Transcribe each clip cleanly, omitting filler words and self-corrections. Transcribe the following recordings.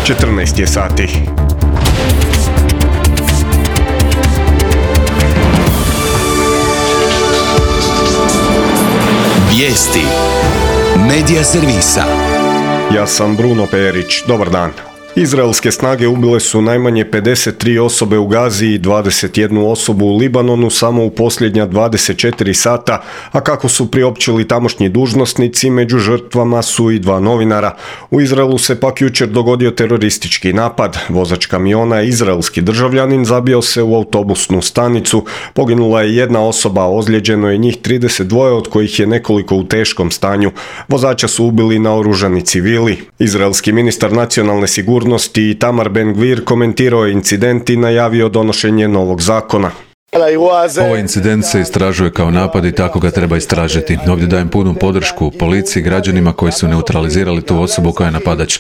14 je sati. Vijesti Medija servisa. Ja sam Bruno Perić. Dobar dan. Izraelske snage ubile su najmanje 53 osobe u Gazi i 21 osobu u Libanonu samo u posljednja 24 sata, a kako su priopćili tamošnji dužnosnici, među žrtvama su i 2 novinara. U Izraelu se pak jučer dogodio teroristički napad. Vozač kamiona, izraelski državljanin, zabio se u autobusnu stanicu. Poginula je jedna osoba, a ozlijeđeno je njih 32, od kojih je nekoliko u teškom stanju. Vozača su ubili naoružani civili. Izraelski ministar nacionalne sigurnosti Itamar Ben-Gvir komentirao je incident i najavio donošenje novog zakona. Ovaj incident se istražuje kao napad i tako ga treba istražiti. Ovdje dajem punu podršku policiji, građanima koji su neutralizirali tu osobu koja je napadač.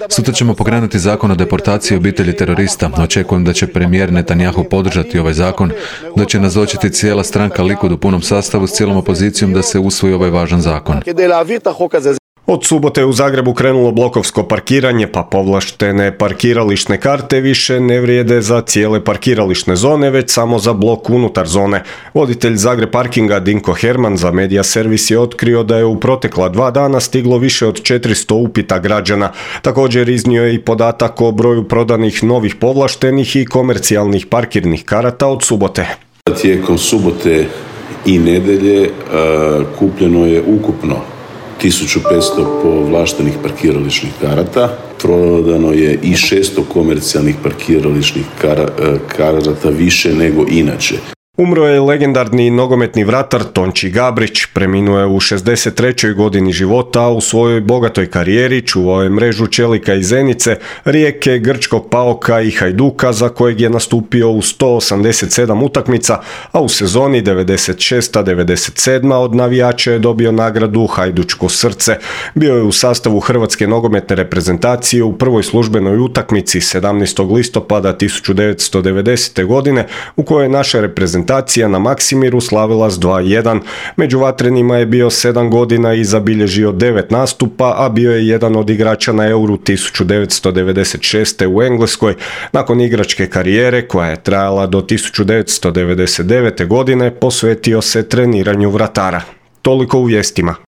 Sutra ćemo pokrenuti zakon o deportaciji obitelji terorista. Očekujem da će premijer Netanyahu podržati ovaj zakon, da će nazočiti cijela stranka Likud u punom sastavu s cijelom opozicijom da se usvoji ovaj važan zakon. Od subote je u Zagrebu krenulo blokovsko parkiranje, pa povlaštene parkirališne karte više ne vrijede za cijele parkirališne zone, već samo za blok unutar zone. Voditelj Zagreb parkinga Dinko Herman za Medija servis je otkrio da je u protekla 2 dana stiglo više od 400 upita građana. Također iznio je i podatak o broju prodanih novih povlaštenih i komercijalnih parkirnih karata od subote. Tijekom subote i nedjelje kupljeno je ukupno 1500 povlaštenih parkirališnih karata, prodano je i 600 komercijalnih parkirališnih karata više nego inače. Umro je legendarni nogometni vratar Tonči Gabrić. Preminuo je u 63. godini života, a u svojoj bogatoj karijeri čuvao je mrežu Čelika i Zenice, Rijeke, Grčkog Paoka i Hajduka, za kojeg je nastupio u 187 utakmica, a u sezoni 96-97 od navijača je dobio nagradu Hajdučko srce. Bio je u sastavu Hrvatske nogometne reprezentacije u prvoj službenoj utakmici 17. listopada 1990. godine, u kojoj je naša reprezentacija na Maksimiru slavila s 2:1. Među vatrenima je bio 7 godina i zabilježio 9 nastupa, a bio je jedan od igrača na Euru 1996. u Engleskoj. Nakon igračke karijere, koja je trajala do 1999. godine, posvetio se treniranju vratara. Toliko u vijestima.